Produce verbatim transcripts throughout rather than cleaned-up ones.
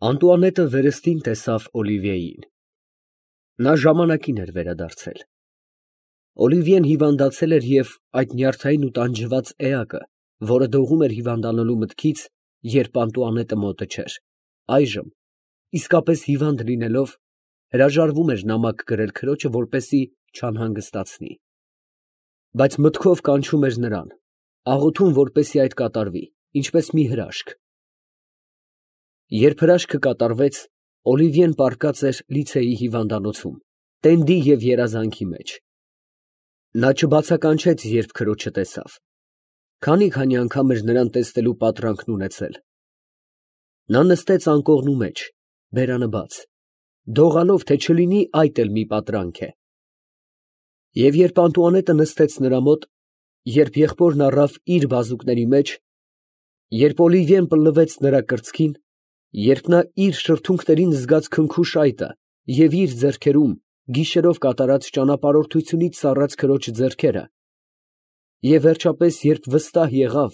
Անտուանետը վերստին տեսավ Օլիվիեին. նա ժամանակին էր վերադարձել։ Օլիվիեն հիվանդացել էր և այդ նյարդային ու տանջված էակը, որը դողում էր հիվանդանալու մտքից, երբ Անտուանետը մոտը չէր, այժմ, իսկապես հիվանդ լինելով, հրաժարվում էր նամակ գրել քրոջը, որպեսզի չանհանգստացնի, բայց մտքով կանչում էր նրան, աղոթում, որպեսզի այդ կատարվի, ինչպես մի հրաշք։ Երբ հրաշքը կատարվեց, Օլիվիեն պառկած էր լիցեի հիվանդանոցում, տենդի և երազանքի մեջ։ Նա չբացականչեց, երբ քրոջը տեսավ, քանի՛֊քանի անգամ էր նրան տեսնելու պատրանքն ունեցել։ Նա նստեց անկողնու մեջ, բերանը բաց, դողալով, թե չլինի այդ էլ մի պատրանք է։ Եվ երբ Անտուանետը նստեց նրա մոտ, երբ եղբորն առավ իր բազուկների մեջ, երբ Օլիվիեն պլվեց նրա կրծքին, երբ նա իր շրթունքներին զգաց քնքուշ այտը և իր ձեռքերում գիշերով կատարած ճանապարհորդությունից սառած քրոջ ձեռքերը, և վերջապես, երբ վստահ եղավ,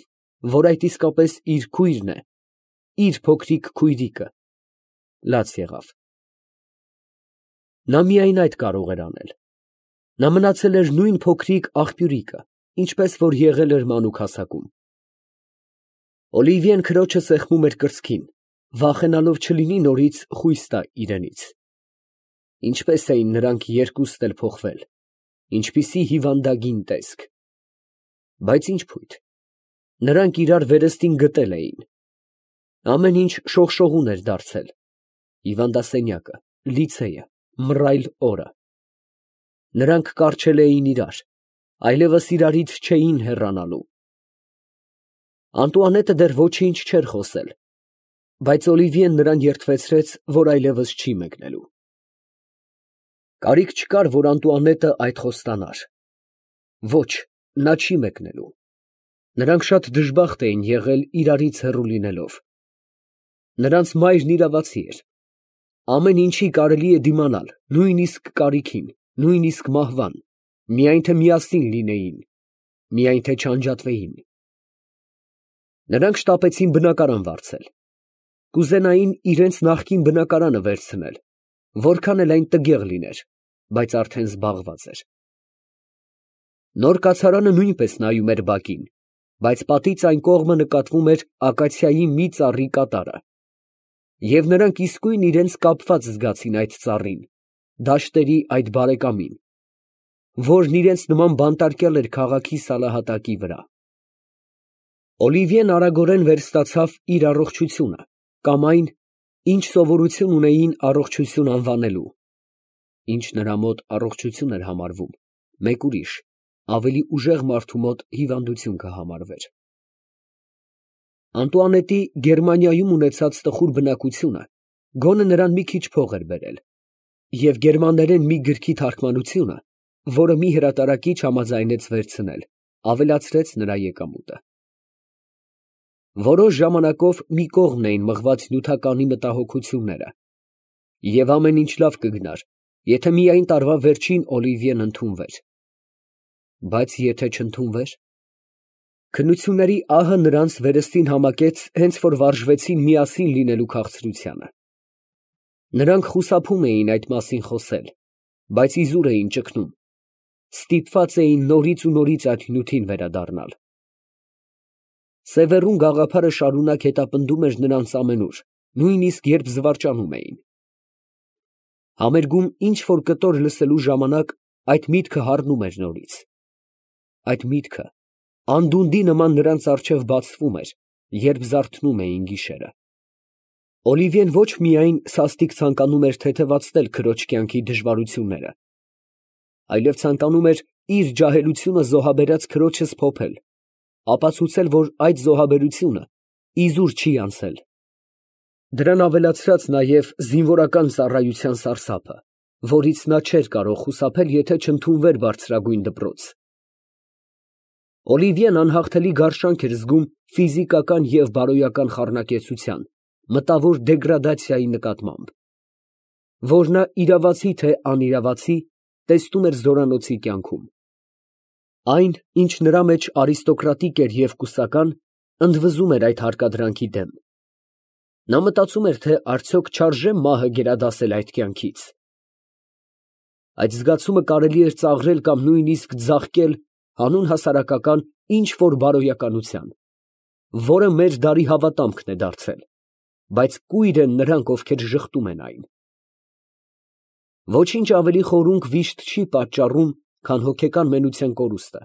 որ այդ իսկապես իր քույրն է, իր փոքրիկ քույրիկը, լաց եղավ։ Նա միայն այդ կարող էր անել։ Նա մնացել էր նույն փոքրիկ աղբյուրիկը, ինչպես որ եղել էր մանուկ հասակում։ Օլիվիեն քրոջը սեղմում էր կրծքին, վախենալով չլինի նորից խույս տա իրենից։ Ինչպե՜ս էին նրանք երկուստ էլ փոխվել, ինչպիսի հիվանդագին տեսք։ Բայց ի՞նչ փույթ, նրանք իրար վերստին գտել էին։ Ամեն ինչ շողշողուն էր դարձել, հիվանդասենյակը, լիցեյը, մռայլ օրը։ Նրանք կառչել էին իրար, այլևս իրարից չէին հեռանալու։ Անտուանետը դեռ ոչինչ չէր խոսել, բայց Օլիվիեն նրան երդվեցրեց, որ այլևս չի մեկնելու։ Կարիք չկար, որ Անտուանետը այդ խոստանար։ Ոչ, նա չի մեկնելու։ Նրանք շատ դժբախտ էին եղել իրարից հեռու լինելով։ Նրանց մայրն իրավացի էր։ Ամեն ինչի կարելի է դիմանալ, նույնիսկ կարիքին, նույնիսկ մահվան, միայն թե միասին լինեին, միայն թե չանջատվեին։ Նրանք շտապեցին բնակարան վարձել։ Կուզենային իրենց նախկին բնակարանը վերցնել, որքան էլ այն տգեղ լիներ, բայց արդեն զբաղված էր։ Նոր կացարանը նույնպես նայում էր բակին, բայց պատից այն կողմը նկատվում էր ակացիայի մի ծառի կատարը, և նրանք իսկույն իրենց կապված զգացին այդ ծառին, դաշտերի այդ բարեկամին, որն իրենց նման բանտարկյալ էր քաղաքի սալահատակի վրա։ Օլիվիեն արագորեն վերստացավ իր առողջությունը, կամ այն, ինչ սովորություն ունեին առողջություն անվանելու, ինչ նրա մոտ առողջություն էր համարվում, մեկ ուրիշ, ավելի ուժեղ մարդու մոտ հիվանդություն կհամարվեր։ Անտուանետի Գերմանիայում ունեցած տխուր բնակությունը գոնե նրան մի քիչ փող էր բերել, և գերմաներեն մի գրքի թարգմանությունը, որը մի հրատարակիչ համաձայնեց վերցնել, ավելացրեց նրա եկամուտը։ Որոշ ժամանակով մի կողմն էին մղված նյութականի մտահոգությունները, և ամեն ինչ լավ կգնար, եթե միայն տարվա վերջին Օլիվիեն ընդունվեր։ Բայց եթե չընդունվեր… Քննությունների ահը նրանց վերստին համակեց հենց որ վարժվեցին միասին լինելու քաղցրությանը։ Նրանք խուսափում էին այդ մասին խոսել, բայց իզուր էին ճգնում, ստիպված էին նորից ու նորից այդ նյութին վերադառնալ։ Սևեռուն գաղափարը շարունակ հետապնդում էր նրանց ամենուր, նույնիսկ երբ զվարճանում էին։ Համերգում ինչ֊որ կտոր լսելու ժամանակ այդ միտքը հառնում էր նորից։ Այդ միտքը անդունդի նման նրանց առջև բացվում էր, երբ զարթնում էին գիշերը։ Օլիվիեն ոչ միայն սաստիկ ցանկանում էր թեթևացնել քրոջ կյանքի դժվարությունները, այլև ցանկանում էր իր ջահելությունը զոհաբերած քրոջը սփոփել, ապացուցել, որ այդ զոհաբերությունը իզուր չի անցել։ Դրան ավելացրած նաև զինվորական ծառայության սարսափը, որից նա չէր կարող խուսափել, եթե չընդունվեր բարձրագույն դպրոց։ Օլիվիեն անհաղթելի գարշանք էր զգում ֆիզիկական և բարոյական խառնակեցության, մտավոր դեգրադացիայի նկատմամբ, որ նա իրավացի թե անիրավացի, տեսնում էր զորանոցի կյանքում։ Այն, ինչ նրա մեջ արիստոկրատիկ էր և կուսական, ընդվզում էր այդ հարկադրանքի դեմ։ Նա մտածում էր, թե արդյոք չարժե մահը գերադասել այդ կյանքից։ Այդ զգացումը կարելի էր ծաղրել կամ նույնիսկ ձաղկել հանուն հասարակական ինչ֊որ բարոյականության, որը մեր դարի հավատամքն է դարձել, բայց կույր են նրանք, ովքեր ժխտում են այն։ Ոչինչ ավելի խորունկ վիշտ չի պատճառում, քան հոգեկան մենության կորուստը,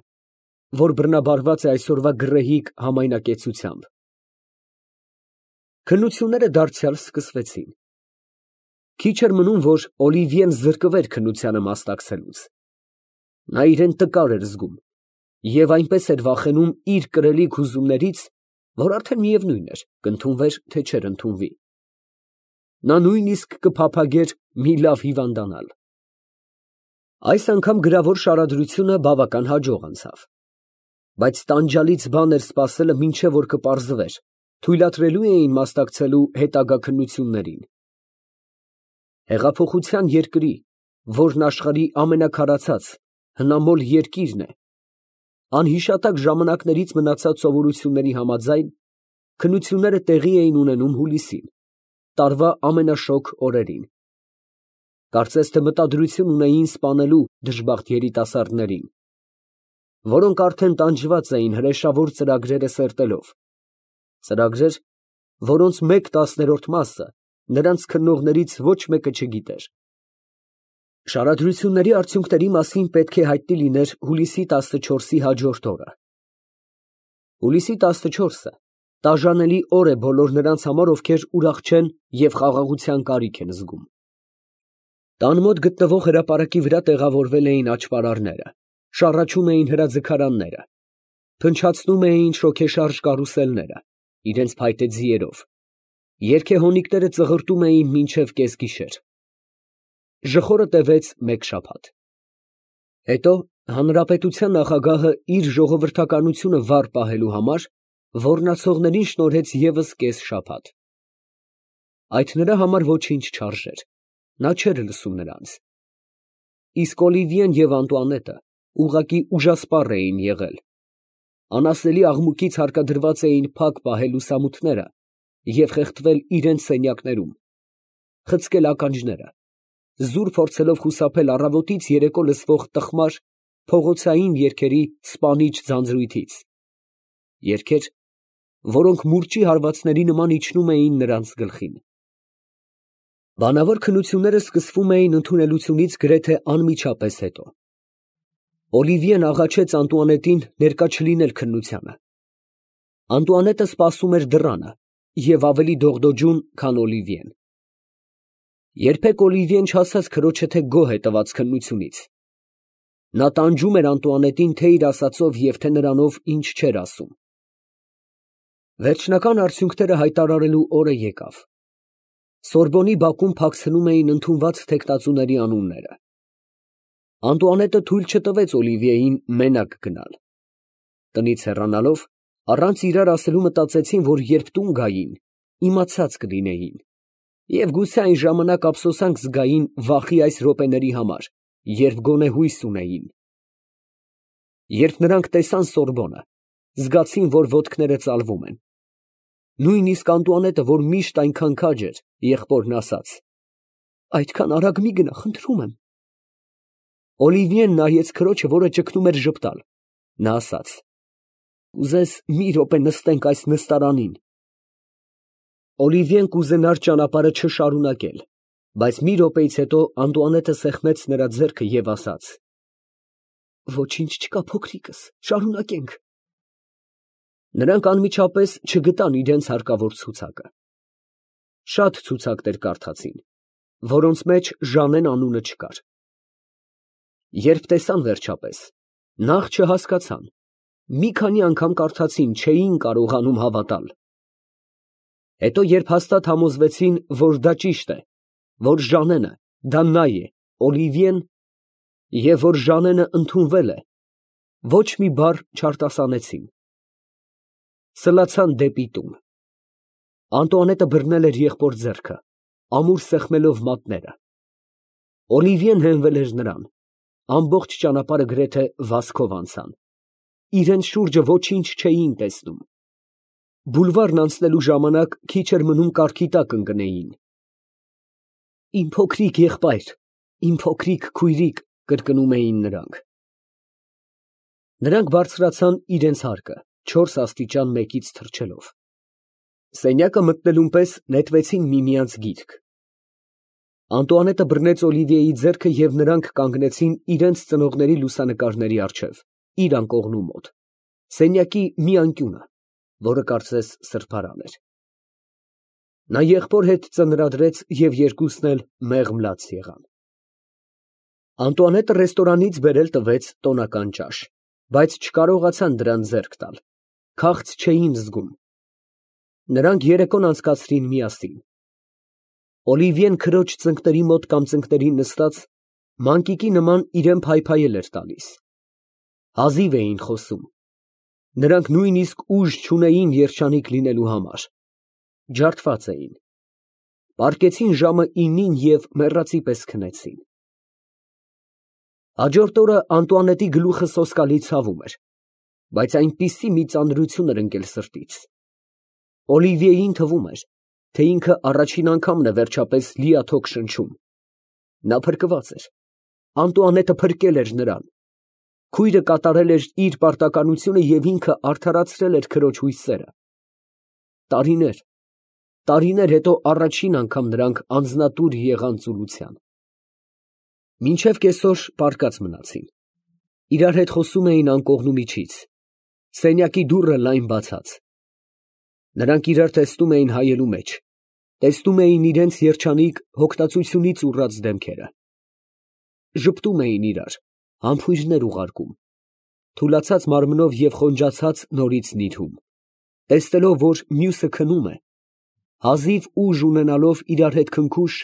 որ բռնաբարված է այսօրվա գռեհիկ համայնակեցությամբ։ Քննությունները դարձյալ սկսվեցին։ Քիչ էր մնում, որ Օլիվիեն զրկվեր քննությանը մասնակցելուց։ Նա իրեն տկար էր զգում և այնպես էր վախենում իր կրելիք հուզումներից, որ արդեն միևնույն էր, կընդունվեր, թե չէր ընդունվի։ Նա նույնիսկ կփափագեր մի լավ հիվանդանալ։ Այս անգամ գրավոր շարադրությունը բավական հաջող անցավ, բայց տանջալից բան էր սպասելը, մինչև որ կպարզվեր, թույլատրելու էին մասնակցելու հետագա քննություններին։ Հեղափոխության երկրի, որն աշխարհի ամենաքարացած, հնամոլ երկիրն է, անհիշատակ ժամանակներից մնացած սովորությունների համաձայն, քննությունները տեղի էին ունենում հուլիսին, տարվա ամենաշոգ օրերին։ Կարծես թե մտադրություն ունեին սպանելու դժբախտ երիտասարդներին, որոնք արդեն տանջված էին հրեշավոր ծրագրերը սերտելով, ծրագրեր, որոնց մեկ տասներորդ մասը նրանց քննողներից ոչ մեկը չգիտեր։ Շարադրությունների արդյունքների մասին պետք է հայտնի լիներ հուլիսի տասնչորսի հաջորդ օրը։ Հուլիսի տասնչորսը տաժանելի օր է բոլոր նրանց համար, ովքեր ուրախ չեն և խաղաղության կարիք են զգում։ Տան մոտ գտնվող հրապարակի վրա տեղավորվել էին աճպարարները, շառաչում էին հրաձգարանները, փնչացնում էին շոգեշարժ կարուսելները, իրենց փայտե ձիերով, երգեհոնիկները ծղրտում էին մինչև կեսգիշեր։ Ժխորը տևեց մեկ շաբաթ։ Հետո հանրապետության նախագահը իր ժողովրդականությունը վառ պահելու համար ոռնացողներին շնորհեց ևս կես շաբաթ։ Այդ նրա համար ոչինչ չարժեր, նա չէր լսում նրանց։ Իսկ Օլիվիեն և Անտուանետը ուղղակի ուժասպառ էին եղել, անասելի աղմուկից հարկադրված էին փակ պահել լուսամուտները և խեղդվել իրենց սենյակներում, խցկել ականջները, զուր փորձելով խուսափել առավոտից երեկո լսվող տխմար փողոցային երգերի սպանիչ ձանձրույթից, երգեր, որոնք մուրճի հարվածների նման իջնում էին նրանց գլխին։ Բանավոր քննությունները սկսվում էին ընդունելությունից գրեթե անմիջապես հետո։ Օլիվիեն աղաչեց Անտուանետին ներկա չլինել քննությանը։ Անտուանետը սպասում էր դռանը և ավելի դողդոջուն, քան Օլիվիեն։ Երբեք Օլիվիեն չասաց քրոջը, թե գոհ է տված քննությունից։ Նա տանջում էր Անտուանետին թե իր ասածով և թե նրանով ինչ չէր ասում։ Վերջնական արդյունքները հայտարարելու օրը եկավ։ Սորբոնի բակում փակցնում էին ընդունված թեկնածուների անունները։ Անտուանետը թույլ չտվեց Օլիվիեին մենակ գնալ։ Տնից հեռանալով, առանց իրար ասելու մտածեցին, որ երբ տուն գային, իմացած կլինեին, և գուցե այն ժամանակ ափսոսանք զգային վախի այս րոպեների համար, երբ գոնե հույս ունեին։ Երբ նրանք տեսան Սորբոնը, զգացին, որ ոտքները ծալվում են։ Նույնիսկ Անտուանետը, որ միշտ այնքան քաջ էր, եղբորն ասաց. «Այդքան արագ մի գնա, խնդրում եմ»։ Օլիվիեն նայեց քրոջը, որը ճգնում էր ժպտալ։ Նա ասաց. «Կուզես մի րոպե նստենք այս նստարանին»։ Օլիվիեն կուզենար ճանապարհը չշարունակել, բայց մի րոպեից հետո Անտուանետը սեղմեց նրա ձեռքը և ասաց. «Ոչինչ չկա, փոքրիկս, շարունակենք»։ Նրանք անմիջապես չգտան իրենց հարկավոր ցուցակը։ Շատ ցուցակներ կարդացին, որոնց մեջ Ժանեն անունը չկար։ Երբ տեսան վերջապես, նախ չհասկացան, մի քանի անգամ կարդացին, չէին կարողանում հավատալ։ Հետո երբ հաստատ համոզվեցին, որ դա ճիշտ է, որ Ժանենը դա նա է, Օլիվիեն, և որ Ժանենը ընդունվել է, ոչ մի բառ չարտասանեցին։ Սլացան դեպի տուն։ Անտուանետը բռնել էր եղբոր ձեռքը, ամուր սեղմելով մատները։ Օլիվիեն հենվել էր նրան, ամբողջ ճանապարհը գրեթե վազքով անցան, իրենց շուրջը ոչինչ չէին տեսնում։ Բուլվարն անցնելու ժամանակ քիչ էր մնում կառքի տակ ընկնեին։ Իմ փոքրիկ եղբայր, իմ փոքրիկ քույրիկ, կրկնում էին նրանք։ Նրանք բարձրացան իրենց հարկը, չորս աստիճան մեկից թռչելով։ Սենյակը մտնելուն պես նետվեցին միմյանց գիրկ։ Անտուանետը բռնեց Օլիվիեի ձեռքը և նրանք կանգնեցին իրենց ծնողների լուսանկարների առջև, իր անկողնու մոտ, սենյակի մի անկյունը, որը կարծես սրբարան էր։ Նա եղբոր հետ ծնրադրեց և երկուսն էլ մեղմ լաց եղան։ Անտուանետը ռեստորանից բերել տվեց տոնական ճաշ, բայց չկարողացան դրան ձեռք տալ, քաղց չէին զգում։ Նրանք երեկոն անցկացրին միասին։ Օլիվիեն քրոջ ծնկների մոտ կամ ծնկներին նստած, մանկիկի նման իրան փայփայել էր տալիս։ Հազիվ էին խոսում։ Նրանք նույնիսկ ուժ չունեին երջանիկ լինելու համար։ Ջարդված էին։ Պառկեցին ժամը ինին և մեռածի պես քնեցին։ Հաջորդ օրը Անտուանետի գլուխը սոսկալի ցավում էր, բայց այնպիսի մի ծանրություն էր ընկել սրտից։ Օլիվիեին թվում էր, թե ինքը առաջին անգամն է վերջապես լիաթոք շնչում։ Նա փրկված էր։ Անտուանետը փրկել էր նրան։ Քույրը կատարել էր իր պարտականությունը և ինքը արդարացրել էր քրոջ հույսերը։ Տարիներ, տարիներ հետո առաջին անգամ նրանք անձնատուր եղան ծուլության։ Մինչև կեսօր պառկած մնացին։ Իրար հետ խոսում էին անկողնու միջից, սենյակի դուռը լայն բացած։ Նրանք իրար տեսնում էին հայելու մեջ, տեսնում էին իրենց երջանիկ, հոգտածությունից ուռած դեմքերը։ Ժպտում էին իրար, համբույրներ ուղարկում, թուլացած մարմնով և խոնջացած նորից նիրհում, տեսնելով, որ մյուսը քնում է, հազիվ ուժ ունենալով իրար հետ քնքուշ,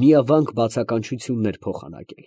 միավանք բացականչություններ փոխանակել։